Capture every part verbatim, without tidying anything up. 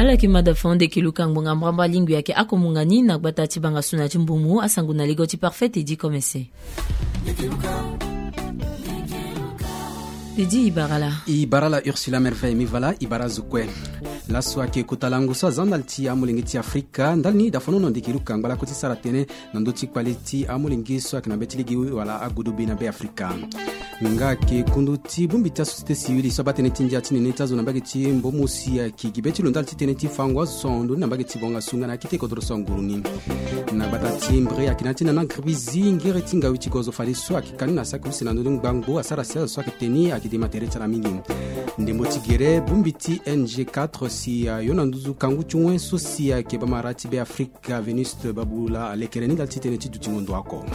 Ala yeke mada fande ke luka ngbonga mbrambra lingbi ayeke ako munga ni na gbata ti banga so na ti mbumu asango na ligo ti parfait edi komese. Edi ibarala. Ibarala Ursula Merveille, mi vala ibara zo kue. Laso ayeke kota lango so aza ndali ti amolenge ti Afrika ndali ni dafanono ndeke luka ngbala ko ti sara tënë na ndö ti kpale ti amolenge so ayeke na be ti lege wala agodobe na be Afrika. Nga ayeke kundu ti bongbi ti asociété civile so abaa tënë ti ndia ti nene ti azo na mbage ti mbomo si ayeke gi be ti lo ndali ti tënë ti fango azo so ahon ndoni na mbage ti bonga sunga na akete kodro so anguru ni. Na gbata ti mbre ayeke na ya ti nana gribizi ngere ti ngawi ti gozo fade so ayeke ka ni na saki use na ndö ni ngbangbo asara si azo so ayeke teni ayeke dema tere ti ala mingi. Ndembo ti gere bongbi ti N G quatre si ayo na nduzu kangu ti wen so si ayeke bamara ti be Afrika Venuste Babula alekere ni ndali ti tënë ti dutingo ndo oko.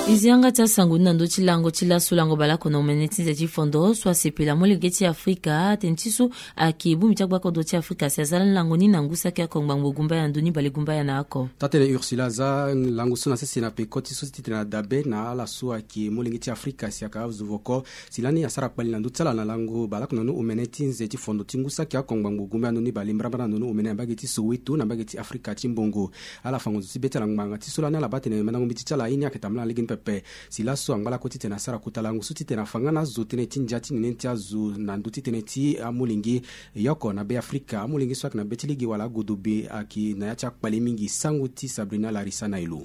E zi yanga ti asango ni na ndö ti lango ti laso lango baleoko na omene ti nze ti fondo so asepela molenge ti Afrika tënë ti so ayeke bongbi ti agbakodro ti Afrika si aza lango ni na ngu saki oko ngbangbo gumbaya ndoni bale gumbaya na oko. Tatene Ursula aza lango so na sese na peko ti so ti titene na dabe na ala so ayeke molenge ti Afrika si ayeke azo voko. Si lani asara kpali na ndö ti ala na lango baleoko na ni omene ti nze ti fondo ti ngu saki oko ngbangbo gumbaya ndoni bale mbrambra na ndoni omene na mbage ti Soweto na mbage ti Afrika ti mbongo. Ala fango nzo ti be ti ala ngbanga ti so lani ala baa tene mandango mbeti ti ala aye ni ayeke tambula na lege ni pepe. Si laso angba lakue titene asara kota lango so titene afa nga na azo tënë ti ndia ti nene ti azo na ndö ti tënë ti amolenge. Yoko na be Afrika amolenge so ayeke na be ti lege wala agodobe ayeke na ya ti akpale mingi sango ti Sabrina Larissa na elo.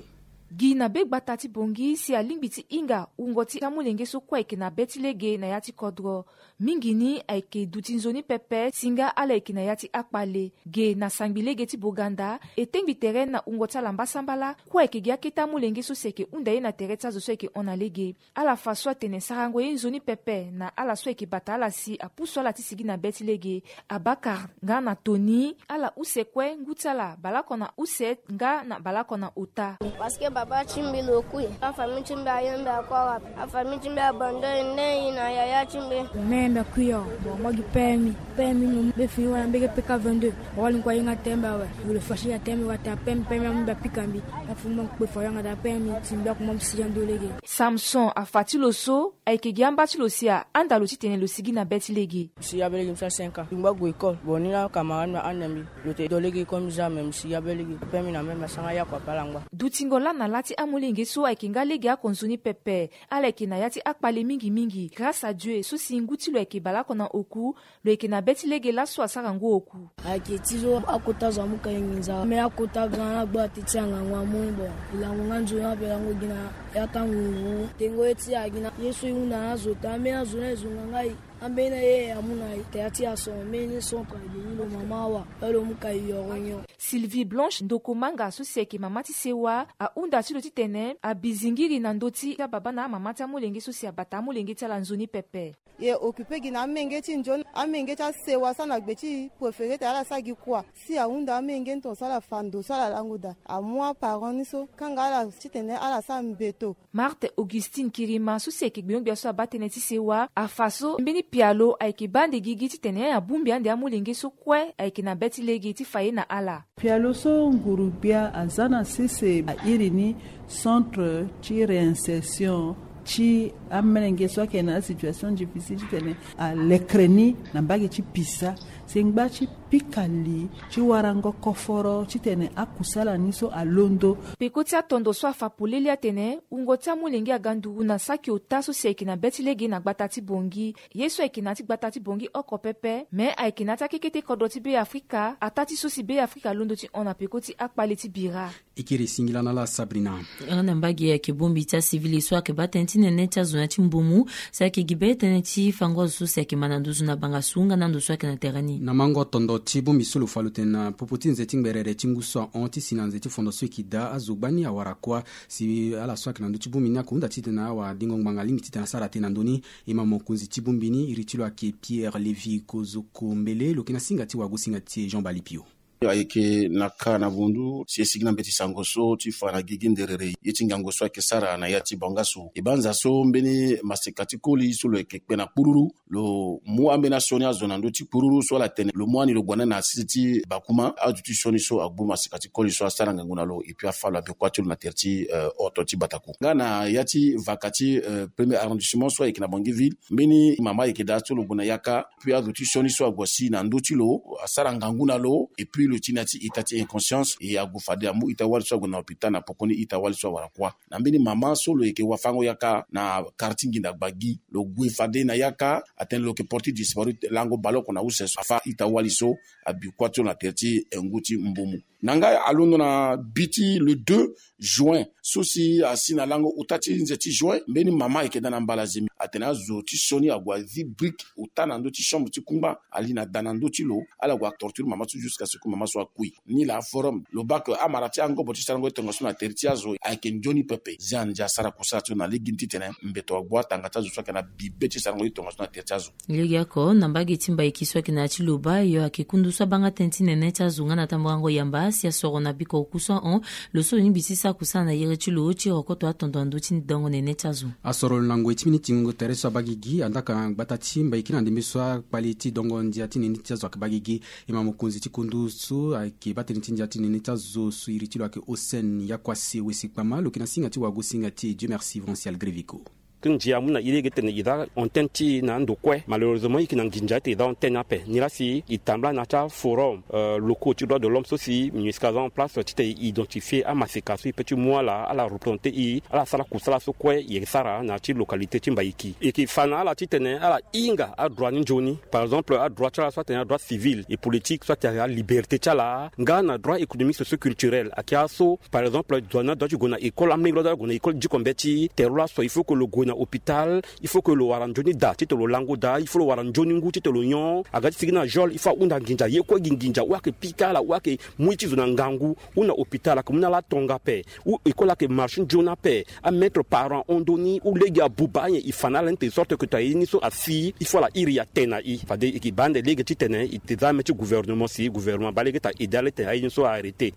Gi na be gbata ti Bongi si alingbi ti hinga wungo ti amolenge so kue ayeke na be ti lege na ya ti kodro. Mingi ni ayeke duti nzoni pepe si nga ala yeke na ya ti akpale. Ge na sangbi lege ti Boganda e tengbi tere na wungo ti ala mbasambala kue ayeke gi akete amolenge so si ayeke hunda ye na tere ti azo so ayeke hon na lege. Ala fa so atene sarango ye nzoni pepe na ala so ayeke bata ala si apusu ala ti sigi na be ti lege. Abakar nga na Tony ala use kue ngu ti ala baleoko na use nga na baleoko na ota. Parce que baba ti mbi lo kui afamille ti mbi aye mbi akua wapi? Afamille ti mbi abandonne nde e na yaya ti mbi. Me mbi akui awe. Bon, moi gi père mi, père mi no mbi fini wala mbi yeke peka vingt-deux. Awali ngu aye nga tembe awe. Wulu fashi na tembe wate apemi pemi amu mbi apika mbi. Afu mbi akpe fa yanga da pemi ti mbi akuma mbi sigi ando lege. Samson afa ti lo so ayeke gi amba ti lo si ahanda lo titene lo sigi na be ti lege. Mbi si ya be lege mbi sara cinq ans. Mbi ngba gue école. Bon ni na camarade mbi ahanda mbi. Lo te do lege comme jamais mbi si ya be lege. Pemi na meme asara ya kua pala ngba. Dutingo lâ na lâ ti amolenge so ayeke nga lege oko nzoni pepe. Ala yeke na ya ti akpale mingi mingi grâce à Dieu so si ngu ti lo ayeke baleoko na oku. Lo yeke na be ti lege laso asara ngu oku. Ayeke ti so akota zo amu ka e nginza me akota grand na gba te ti angangu amu ni bon. E lango nga nzoni ape lango gi na ya ti anguru. Tengo ye ti a gi na ye so e hunda na azo te ambeni azo na e zonga nga e. Ambeni na ye amu na e te ya ti ason ambeni centre agi ni lo mama awa. Baa lo mu ka e yoro nyon. Sylvie Blanche Ndokomanga so si ayeke mama ti sewa ahunda ti lo titene abi zingiri na ndö ti ababa na amama ti amolenge so si abata amolenge ti ala nzoni pepe. E occupe gi na amenge ti nzoni amenge ti asewa so na gbe ti préféré te ala sara gi kua. Si ahunda amenge ni tongaso ala fa ndo so ala lango daa amu aparent ni so kanga ala titene ala sara mbeto. Marthe Augustine Kirima so si ayeke gbenyo-gbia so abaa tënë ti sewa afa so mbeni pialo ayeke baa ande gigi titene abongbi ande amolenge so kue ayeke na be ti lege ti fa ye na ala. Pialo so nguru-gbia aza na sese airi ni centre ti réinsertion ti amolenge so ayeke na asituation difficile titene alekere ni na mbage ti pisa. Si ngba ti pika li ti warango koforo titene akusala ni so alondo. Peko ti atondo so afa polele atene wungo ti amolenge aga nduru na saki ota so si ayeke na be ti lege na gbata ti Bongi. Ye so ayeke na ya ti gbata ti Bongi oko pepe me ayeke na ya ti akekete kodro ti Be Afrika ataa ti so si Be Afrika alondo ti hon na peko ti akpale ti bira. E kiri singila na ala Sabrina. Yanga na mbage ayeke bongbi ti asivili so ayeke baa tënë ti nene ti azo na ya ti mbumu si ayeke gi be tënë ti fango azo so si ayeke ma na nduzu na banga su nga na ndo so ayeke na tere ni. Na mango tondo ti bongbi so lo fa lo tene na popo ti nze ti ngberere ti ngu so ahon ti si na nze ti fondo so e yeke daa azo gbani awara kuâ. Si ala so ayeke na ndö ti bongbi ni ako hunda titene awadengo ngbanga alingbi titene asara te na ndö ni. E ma mokonzi ti bongbi ni iri ti lo ayeke Pierre Lévy Kozoko Mbele lo yeke na singa ti wagosinga ti e Jean Balipio. Ayeke na ka na vundu si e sigi na mbeti sango so ti fa na gigi nderere ye ti ngangu so ayeke sara na ya ti bangasu. E banza so mbeni maseka ti koli so lo yeke kpe na kpururu, lo mu ambeni asioni azo na ndö ti kpururu so ala tene lo mu ani lo gue na sese ti bakuma. Azo ti sioni so agbu maseka ti koli so asara ngangu na lo epui afa lo abekua ti lo na tere ti oto ti bataku nga na ya ti vaka ti premier arrondissement so ayeke na bangi ville. Mbeni mama ayeke daa so lo gue na yaka, epui azo ti sioni so ague si na ndö ti lo asara ngangu na lo epui lo ti na ya ti ita ti inconscience e ague fade amu ita wali so ague na hôpital na pokoni ita wali so awara kuâ. Na mbeni mama so lo yeke wafango yaka na quartier nginda gbagi, lo gue fade na yaka atene lo yeke porte disparu lango baleoko na use so afa ita wali so abi kuâ ti lo na tere ti ngu ti mbumu. Na nga alondo na bi ti le deux juin so si asi na lango uta ti nze ti juin, mbeni mama ayeke daa na mbalazemi atene azo ti sioni ague azi brique uta na ndö ti chambre ti kungba ali na da na ndö ti lo. Ala gue atorture mama so jusqu'à ce que mama so akui. Ni la forum lo baa ke amara ti angobo ti sarango ti tongaso na tere ti azo ayeke nzoni pepe. Zian ndia asara kusala ti lo na lege ni titene mbeto agbu atanga ti azo so ayeke na bibe ti sarango ti tongaso na tere ti azo. Lege oko na mbage ti Mbaiki so ayeke na ya ti Loba yo ayeke kundu so abanga tënë ti nene ti azo nga na tamburango yamba si asoro na biko oku so ahon lo so lo lingbi ti sara kusala na yere ti lo ti rokoto atondo na ndö ti dongo nene ti azo. Asoro lo na ngoi ti mbeni tingo tere so abaa gigi andaka na gbata ti Mbaiki na ndembe so akpali ti dongo ndia ti nene ti azo ayeke baa gigi. E ma mokonzi ti kundu so ayeke baa tënë ti ndia ti nene ti azo so iri ti lo ayeke Hossein Yakwase Wesi Kpama lo yeke na singa ti wagosinga ti Dieu merci Vincent Algreviko. Ti ndia amu na e lege titene e za antenne ti e na ando kue. Malheureusement e yeke na nginza titene e za antenne ape. Nilaa si e tambula na ya ti aforum locaux ti droit de l'homme so si MINUSCA aza en place titene e identifier amaseka so e peut ti mu ala ala représenter e ala sara kusala so kue e sara na ya ti localité ti Mbaiki. E yeke fa na ala titene ala hinga adroit ni nzoni. Par exemple adroit ti ala so atene adroit civil et politique so atene aliberté ti ala nga na droit économique socio-culturel ayeke aso. Par exemple zo ni adoit ti gue na école, amelenge lo adoit ti gue na école diko mbeti. Tere lo laso il faut que lo gue na hôpital. Il faut que lo wara nzoni daa titene lo lango daa. Il faut lo wara nzoni ngu titene lo nyon. Aga ti sigi na geole il faut ahunda nginza ye kue gi nginza ou ayeke pika ala ou ayeke mu ye ti zo na ngangu ou na hôpital ayeke mu na ala atonga ape. Ou école ayeke marche nzoni ape. Amaître parent ahon ndoni ou lege abuba anyen e fa na ala ni tene sorte que tene aye ni so asi il faut ala iri atene na e. Fade e yeke baa ande lege titene e te za ame ti gouvernement si gouvernement abaa lege titene a aide ala titene aye ni so a arrêter.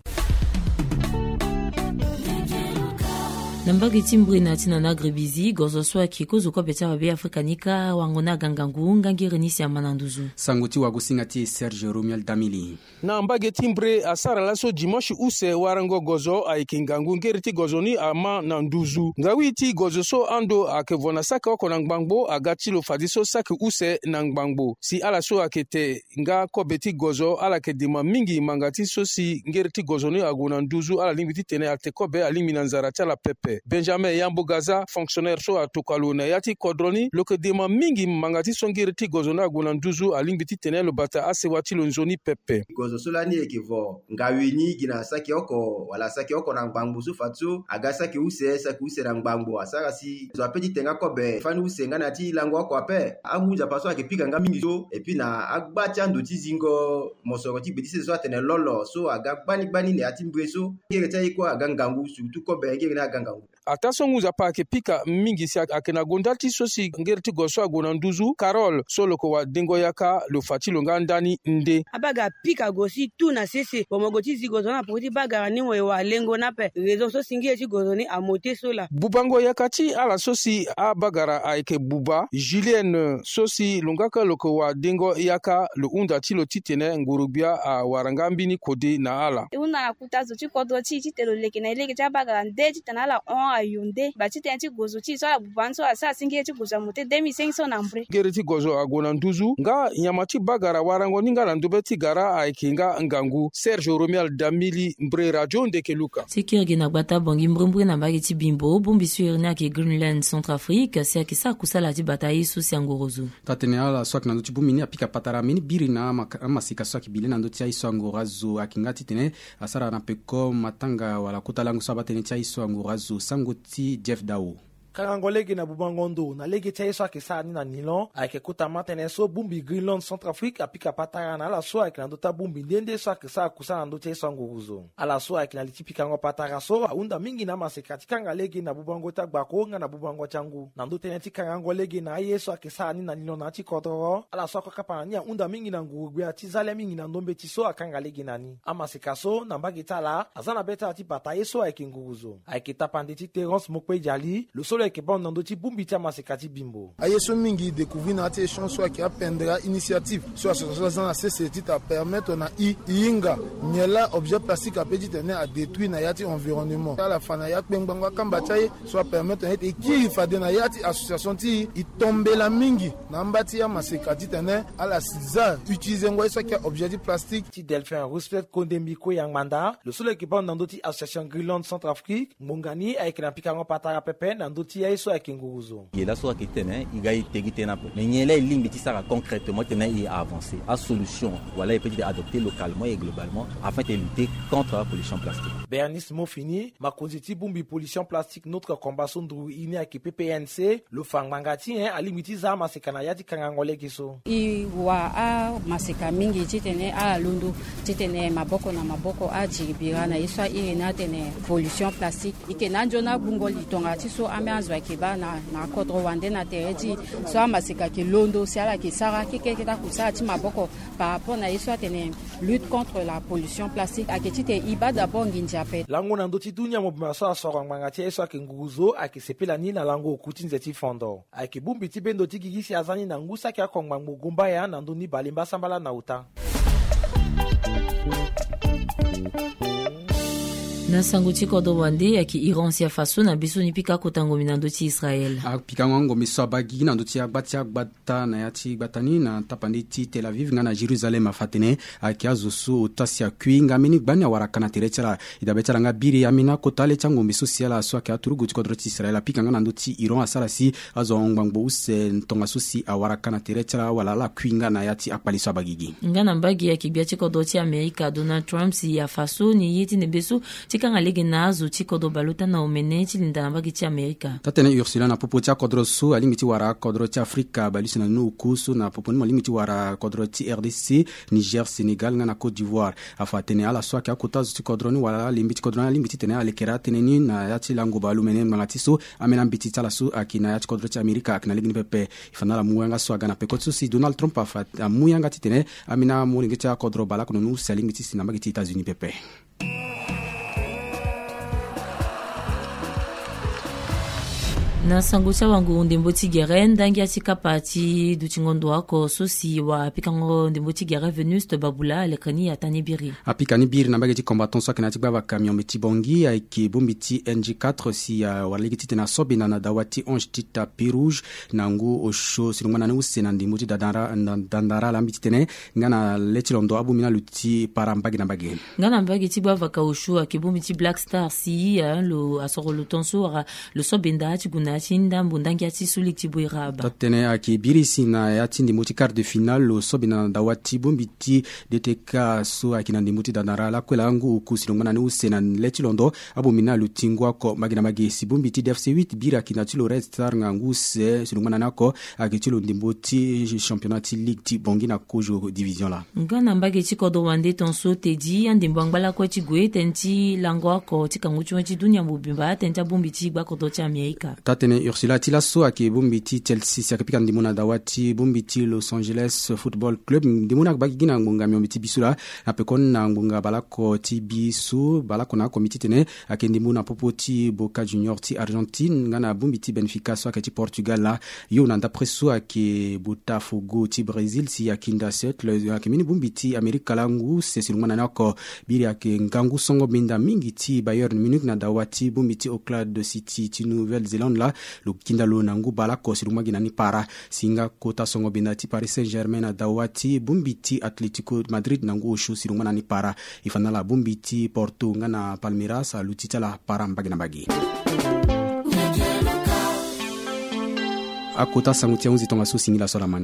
Na mbage ti Mbre na ya ti Nana Agribizi gozo so ayeke kozo kobe ti awabe Afrika ni kâ awango ni aga ngangu nga ngere ni si ama na nduzu. Sango ti wagosinga ti e Serge Romuald Damili. Na mbage ti Mbre asara laso dimanche use warango gozo ayeke ngangu ngere ti gozo ni ama na nduzu. Ngawi ti gozo so ando ayeke vo na saki oko na ngbangbo aga ti lo fadeso saki use na ngbangbo si ala so ayeke te nga kobe ti gozo ala yeke dema mingi manga ti so si ngere ti gozo ni ague na nduzu ala lingbi titene ate kobe alingbi na nzara ti ala pepe. Benjamin Yambo Gaza fonctionnaire so atokua lo na ya ti kodro ni lo yeke dema mingi manga ti so ngere ti gozo ni ague na nduzu alingbi titene lo bata asewa ti lo nzoni pepe. Gozo so lani e yeke vo ngawi ni gi na saki oko wala saki oko na ngbangbo so fadeso aga saki use saki use na ngbangbo asara si zo ape ti te nga kobe fani use nga na ya ti lango oko ape. Angu nzapa so ayeke pika nga mingi so epui na agba ti ando ti zingo mosoro ti gbe ti sese so atene lolo so aga gbani gbani na ya ti Mbre so ngere ti aye kue aga ngangu surtout kobe ngere ni aga ngangu. Ataa so ngu nzapa ayeke pika mingi si ayeke na gonda ti so si ngere ti gozo so ague na nduzu Carole so lo yeke wadengo yaka lo fa ti lo nga ndani nde. Abagara pika gozo ti tu na sese bon mo gue ti zi gozo ni na poko ti bagara ni mo ye walengo ni ape raison so si ngere ti gozo ni amo te so laa. Bubango yaka ti ala so si abagara ayeke buba Julienne so si lo nga kue lo yeke wadengo yaka lo hunda ti lo titene ngorogbia awara nga mbeni kode na ala. E hunda na kuta zo ti kodro ti e titene lo leke na e lege ti abagara nde titene ala hon ayo nde ba titene ti gozo ti e so ala buba ni so asara si ngere ti gozo amo te deux mille cinq cents na Mbre. Ngere ti gozo ague na nduzu nga nyama ti bagara warango ni nga na ndobe ti gara ayeke nga ngangu. Serge Romuald Damili, Mbre, Radio Ndeke Luka. Ti kiri gi na gbata Bongi Mbre Mbre na mbage ti Bimbo bongbi so iri ni ayeke Greenland Centrafrique si ayeke sara kusala ti bata aye so si angoro zo. Taa-tene ala so ayeke na ndö ti bongbi ni apika patara mbeni biri na ama- amaseka so ayeke bi le na ndö ti aye so angoro azo ayeke nga titene asara na peko matanga wala kota lango so abaa tënë ti aye so angoro azo. Sango ti Jeff Dao. Kangango lege na bubango ndo na lege ti aye so ayeke sara ni na nilon ayeke kota ma tënë so bongbi Greenland Centrafrique apika patara na ala so ayeke na ndö ti abongbi nde nde so ayeke sara kusa na ndö ti aye so anguruzo. Ala so ayeke na li ti pikango patara so ahunda mingi na amaseka ti kanga lege na bubango ti agbako nga na bubango ti angu. Na ndö tënë ti kangango lege na aye so ayeke sara ni na nilon na ya ti kodoro, ala so akue kapa na ni ahunda mingi na nguru-gbia ti za le mingi na ndö mbeti so akanga lege na ni. Amaseka so na mbage ti ala aza na be ti ala ti bata ye so ayeke nguruzo. Ayeke tapande ti Terence Mokpe Diali, lo so lo yeke baa ndo na ndö ti bongbi ti amaseka ti Bimbo. Aye so mingi découvrir na ya ti échange so ayeke apendre a-initiative so association aza na sese ti ta permettre na i i hinga nyen laa objet plastique ape titene adétruire na ya ti environnement. Ala fa na ya kpengbango akamba ti aye so apermettre na e ti e kiri fade na ya ti association ti e, e tombela mingi na amba ti amaseka titene ala si za utiliser ngo aye so ayeke objet ti plastique. Ti Delphin Roosevelt Kondembi Koyangbanda, lo so lo yeke baa ndo na ndö ti association Greenland Centrafrique, ngbonga ni ayeke na pikango patara pepe na ndö ti aye so ayeke nguruzo. Ye laso ayeke tene e ga e tegi tënë ape, mais nyen laa e lingbi ti sara concrètement titene e avancer asolution wala e peut ti adopter localement et globalement afin de lutter contre la pollution plastique. Bernice Mofini, makonzi ti bongbi pollution plastique Notre Combat so nduru i ni ayeke P P N C, lo fa ngbanga ti nyen alingbi ti za amaseka na ya ti kangango lege so. E wa amaseka mingi titene ala londo titene maboko na maboko ajiri bira na ye so a iri ni atene pollution plastique. E yeke na anzoni abungo li tonga ti so ambeni azo ayeke baa na na akodro wande na tere ti e so amaseka ayeke londo si ala yeke sara keke keke ti akusala ti maboko par rapport na ye so atene lutte contre la pollution plastique ayeke titene e baa d'abord nginza ape. Lango na ndö ti dunia mobimba so asoro ngbanga ti aye so ayeke nguruzo ayeke sepela ni na lango oku ti nze ti fondo. Ayeke bongbi ti bendo ti gigi si aza ni na ngu saki oko ngbangbo gombaya na ndö ni balemba sambala na ota. Na sango ti kodro wande ayeke Iran si afa so na be so ni pika kota ngombe na ndö ti Israël. Apikango angombe so abaa gigi na ndö ti agba ti agbata na ya ti gbata ni na tapande ti Tel Aviv nga na Jérusalem afa atene ayeke azo so ota si akui nga mbeni gbani awara ka na tere ti ala. E dabe ti ala nga biri ambeni akota le ti angombe so si ala so ayeke aturugu ti kodro ti Israël apika nga na ndö ti Iran asara si azo ngbangbo use tongaso si awara ka na tere ti ala wala ala kui nga na ya ti akpali so abaa gigi. Nga na mbage ayeke gbia ti kodro ti Amerika Donald Trump si afa so ni ye ti ndembe so ti kanga lege na azo ti kodro baleota na omene ti linda na mbage ti Amerika. Taa-tënë Ursula na popo ti akodro so alingbi ti wara akodro ti Afrika baleuse na ni oku so na popo ni mo alingbi ti wara kodro ti R D C, Niger, Sénégal nga na Côte d'Ivoire. Afa atene ala so ayeke akota azo ti kodro ni wala alembe ti kodro ni alingbi titene alekere atënë ni na ya ti lango baleomene ngbanga ti so ambeni ambeti ti ala so ayeke na ya ti kodro ti Amerika ayeke na lege ni pepe. E fa na ala mu yanga so aga na peko ti so si Donald Trump afa amu yanga titene ambeni amolenge ti akodro baleoko na ni use alingbi ti si na mbage ti États-Unis pepe. Na sango ti awanguru ndembo ti gere ndangia ti kapa ti dutingo ndo oko so si wara pikango ndembo ti gere Venuste Babula alekere ni ataa ni biri. Apika ni biri na mbage ti combattant so ayeke na ya ti gbavaka miombe ti Bangui ayeke bongbi ti N G quatre si awara lege titene aso benda na dawa ti Ange Tita Pé Rouge na ngu osio si lo ngba na ni use na ndembo ti dandara na dandara ala mbi titene nga na le ti londo abongbi ni aluti para mbage na mbage. Nga na mbage ti gbavaka osio ayeke bongbi ti Black Star si lo asoro lo tongaso wala lo so benda ti gue na ya ti ndambo ndangia ti so lege ti Boiraba. Taa-tënë ayeke biri si na ya ti ndembo ti quart de finale lo so benda na dawa ti bongbi ti D T K so ayeke na ndembo ti dandara lakue laa ngu oku si lo ngba na ni use na le ti londo abongbi ni aluti ngu oko mbage na mbage si bongbi ti D F C huit biri ayeke na ti lo Red Star nga ngu use si lo ngba na ni oko ayeke ti lo ndembo ti championnat ti ligue ti Bangui na kozo division laa. Nga na mbage ti kodro wande tongaso tedi andembo angba lakue ti gue tënë ti lango oko ti kangu ti wen ti dunia mobimba tënë ti abongbi ti gbakodro ti Amerika. Taa-tënë Ursula ti laso ayeke bongbi ti Chelsea si ayeke pika ndembo na dawa ti bongbi ti Los Angeles Football Club ndembo ni agba gigi na ngbonga miombe ti biso laa na pekoni na ngbonga baleoko ti biso baleoko na oko mbi titene ayeke ndembo na popo ti Boca Junior ti Argentine nga na bongbi ti Benfica so ayeke ti Portugal laa. Yo na ndapre so ayeke Botafogo ti Brésil si ayeke nda setle ayeke mbeni bongbi ti Amerika laa ngu use si lo ngba na ni oko. Biri ayeke ngangu songo benda mingi ti Bayern Munich na dawa ti bongbi ti Auckland City ti Nouvelle-Zélande laa lo kinda lo na ngu baleoko si lo ngba gi na ni para. Si nga kota songo benda ti Paris Saint-Germain na dawa ti bongbi ti Atlético Madrid na ngu osio si lo ngba na ni para. E fa na ala bongbi ti Porto nga na Palmeiras aluti ti ala para mbage na mbage. Akota sango ti ahunzi tongaso singila so ala ma ni.